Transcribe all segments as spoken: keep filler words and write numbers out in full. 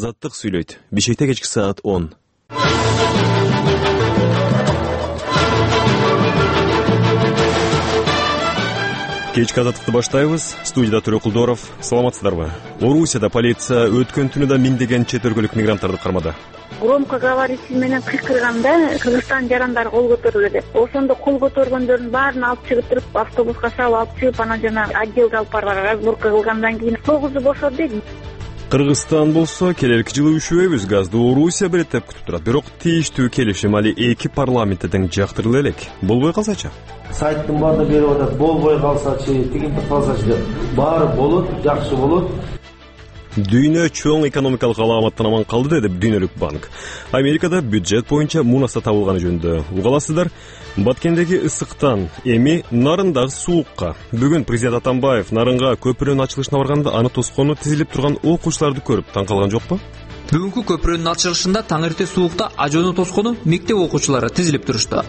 Азаттык сүйлөйт. Бишкекте кечки саат он. Кечки азаттыкты баштайбыз. Студияда Төрө Кулдоров. Саламатсыздарбы? Орусияда полиция өткөн түнү да миңдеген чет өлкөлүк мигранттарды кармады. Громкоговоритель менен кыйкырганда Кыргызстан жарандары кол көтөрүлдү деп. Ошондо кол көтөргөндөрдүн баарын алып чыгып туруп, автобуска салып алып чыгып, анан жана отделге алып барып разборка кылгандан кийин тогузу бошоду дейт. Кыргызстан болсо келерки жылы үшүбөйбүз, газды Орусия биретеп күтүп турат. Бирок тийиштүү келишим али эки парламентте тең жактырыла элек. Болбой калсачы? Сайттын баардыгы берип атат, болбой калсачы, тигинтип калсачы деп. Баары болот, жакшы болот. Дүйнө чоң экономикалык аламаттан аман калды деди Дүйнөлүк банк. Америкада бюджет боюнча мунаса табылганы жөнүндө угаласыздар. Баткендеги ысыктан эми Нарындагы суукка. Бүгүн президент Атамбаев Нарынга көпүрөнүн ачылышына барганда аны тоскону тизилип турган окуучуларды көрүп таң калган жокпу? Бүгүнкү көпүрөнүн ачылышында таң эрте суукта ажону тоскону мектеп окуучулары тизилип турушту.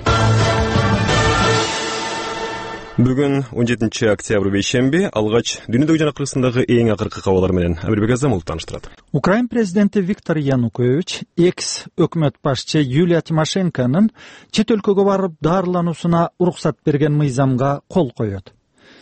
Бүгүн он жетинчи октябрь бейшемби, алгач дүйнөдөгү жана Кыргызстандагы эң акыркы кабарлар менен Амирбек Азамов тааныштырат. Украин президенти Виктор Янукович экс өкмөт башчы Юлия Тимошенконун чет өлкөгө барып дарылануусуна уруксат берген мыйзамга кол коёт.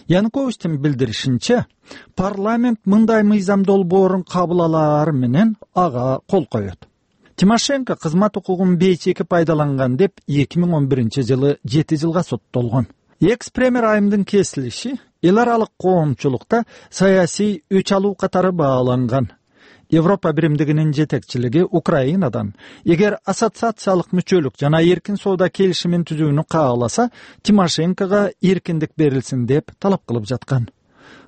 Януковичтин билдиришинче, парламент мындай мыйзам долбоорун кабыл алаар менен ага кол коёт. Тимошенко кызмат укугун бейчеки пайдаланган деп эки миң он биринчи жылы жети жылга соттолгон. Экс-премьер айымдын кесилиши эл аралык коомчулукта саясий өч алуу катары бааланган. Европа биримдигинин жетекчилиги Украинадан эгер ассоциациялык мүчөлүк жана эркин соода келишимин түзүүнү кааласа, Тимошенкого эркиндик берилсин деп талап кылып жаткан.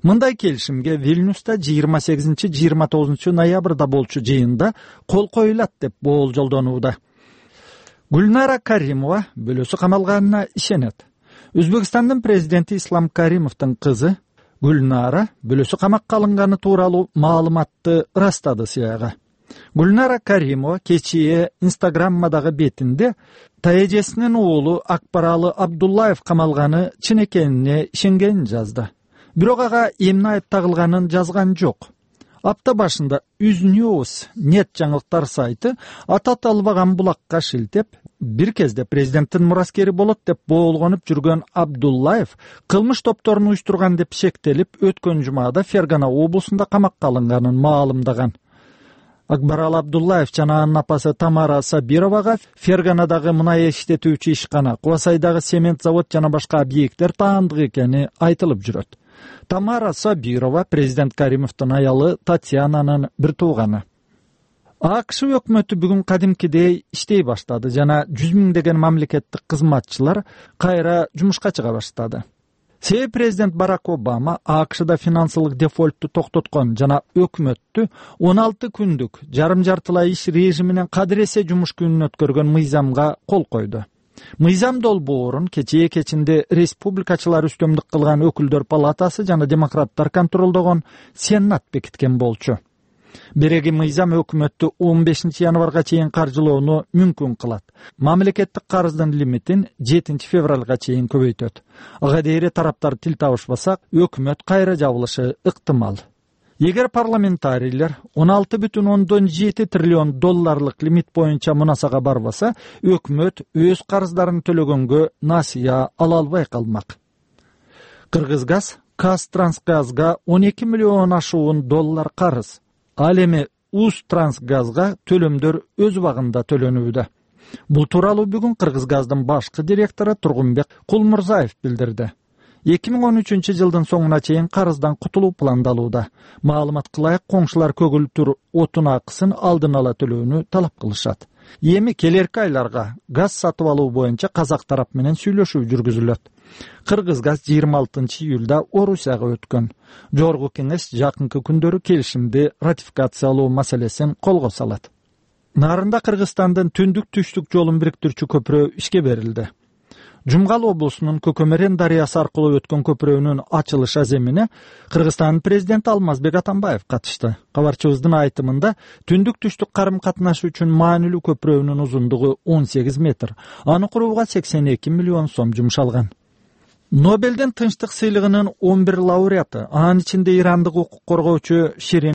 Мындай келишимге Вильнюста жыйырма сегизинчи жыйырма тогузунчу ноябрда болчу жыйында кол коюлат деп болжолдонууда. Гүлнара Каримова бөлөсү камалганына ишенет. Өзбекстандын президенти Ислам Каримовдун кызы Гүлнара бөлөсү камакка алынганы тууралуу маалыматты ырастады сыяга. Гүлнара Каримова кечээ Инстаграммадагы бетинде таэжесинин уулу Акбаралы Абдуллаев камалганы чын экенине ишенгенин жазды. Бирок ага эмне айып тагылганын жазган жок. Апта башында Uznewс нет жаңылыктар сайты аты аталбаган булакка шилтеп, бир кезде президенттин мураскери болот деп боолгонуп жүргөн Абдуллаев кылмыш топторун уюштурган деп шектелип, өткөн жумада Фергана облусунда камакка алынганын маалымдаган. Акбарал Абдуллаев жана анын апасы Тамара Сабировага Ферганадагы мунай иштетүүчү ишкана, Кубасайдагы цемент завод жана башка объекттер таандык экени айтылып жүрөт. Тамара Сабирова президент Каримовдун аялы Татьянанын бир тууганы. АКШ өкмөтү бүгүн кадимкидей иштей баштады жана жүз миңдеген мамлекеттик кызматчылар кайра жумушка чыга баштады. Себеби президент Барак Обама АКШда финансылык дефолтту токтоткон жана өкмөттү он алты күндүк жарым жартылай иш режиминен кадыр эсе жумуш күнүн өткөргөн мыйзамга кол койду. Мыйзам долбоорун кечээ кечинде республикачылар үстөмдүк кылган өкүлдөр палатасы жана демократтар контролдогон Сенат бекиткен болчу. Береги мыйзам өкмөттү он бешинчи январга чейин каржылоону мүмкүн кылат. Мамлекеттик карыздын лимитин жетинчи февралга чейин көбөйтөт. Ага дейре тараптар тил табышпаса, өкмөт кайра жабылышы ыктымал. Эгер парламентарийлер он алты бүтүн ондон жети триллион долларлык лимит боюнча мунасага барбаса, өкмөт өз карыздарын төлөгөнгө насыя ала албай калмак. Кыргызгаз Казтрансгазга он эки миллион ашуун доллар карыз. Ал эми Узтрансгазга төлөмдөр өз убагында төлөнүүдө. Бул тууралуу бүгүн Кыргызгаздын башкы директору Тургунбек Кулмурзаев билдирди. эки миң он үчүнчү жылдын соңуна чейин карыздан кутулуу пландалууда. Маалымат кылайык, коңшулар көгүлтүр отун акысын алдын ала төлөөнү талап кылышат. Эми келерки айларга газ сатып алуу боюнча казак тарап менен сүйлөшүү жүргүзүлөт. Кыргызгаз жыйырма алтынчы июлда Орусияга өткөн. Жогорку кеңеш жакынкы күндөрү келишимди ратификациялоо маселесин колго салат. Нарында Кыргызстандын түндүк түштүк жолун бириктирүүчү көпүрө ишке берилди. Жумгал облусунун Көкөмөрен дарыясы аркылуу өткөн көпүрөнүн ачылыш аземине Кыргызстандын президенти Алмазбек Атамбаев катышты. Кабарчыбыздын айтымында түндүк түштүк карым катнашы үчүн маанилүү көпүрөнүн узундугу он сегиз метр. Аны курууга сексен эки миллион сом жумшалган. Нобелдин тынчтык сыйлыгынын он бир лауреаты, анын ичинде ирандык укук коргоочу Ширин